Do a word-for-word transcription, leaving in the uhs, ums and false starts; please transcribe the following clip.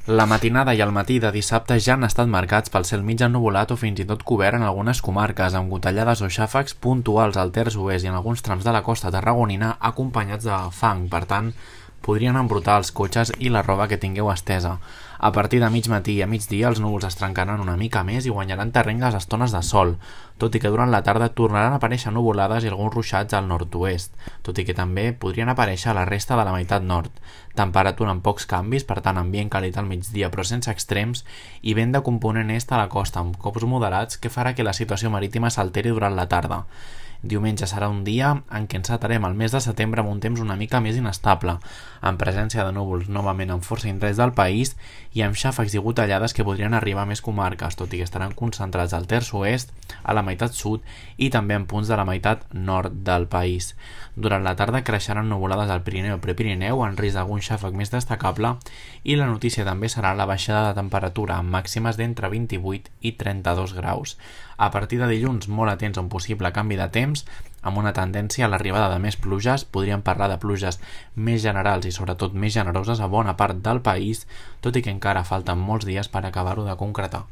La matinada i el matí de dissabte ja han estat marcats pel cel mig ennuvolat o fins i tot cobert en algunes comarques, amb gotellades o xàfecs puntuals al terç oest i en alguns trams de la costa tarragonina acompanyats de fang. Per tant, podrien embrutar els cotxes i la roba que tingueu estesa. A partir de mig matí i a migdia els núvols es trencaran una mica més i guanyaran terreny les estones de sol, tot i que durant la tarda tornaran a aparèixer nuvolades i alguns ruixats al nord-oest, tot i que també podrien aparèixer a la resta de la meitat nord. Temperatura amb pocs canvis, per tant ambient càlid al migdia però sense extrems, i vent de component est a la costa amb cops moderats que farà que la situació marítima s'alteri durant la tarda. Diumenge serà un dia en què encetarem el mes de setembre amb un temps una mica més inestable, amb presència de núvols novament en força indrets del país i amb xàfecs i gotellades que podrien arribar a més comarques, tot i que estaran concentrats al terç oest, a la meitat sud i també en punts de la meitat nord del país. Durant la tarda creixeran nuvolades al Pirineu i Prepirineu en risc d'algun xàfec més destacable i la notícia també serà la baixada de temperatura amb màximes d'entre vint-i-vuit i trenta-dos graus. A partir de dilluns, molt atents a un possible canvi de temps, amb una tendència a l'arribada de més pluges. Podríem parlar de pluges més generals i sobretot més generoses a bona part del país, tot i que encara falten molts dies per acabar-ho de concretar.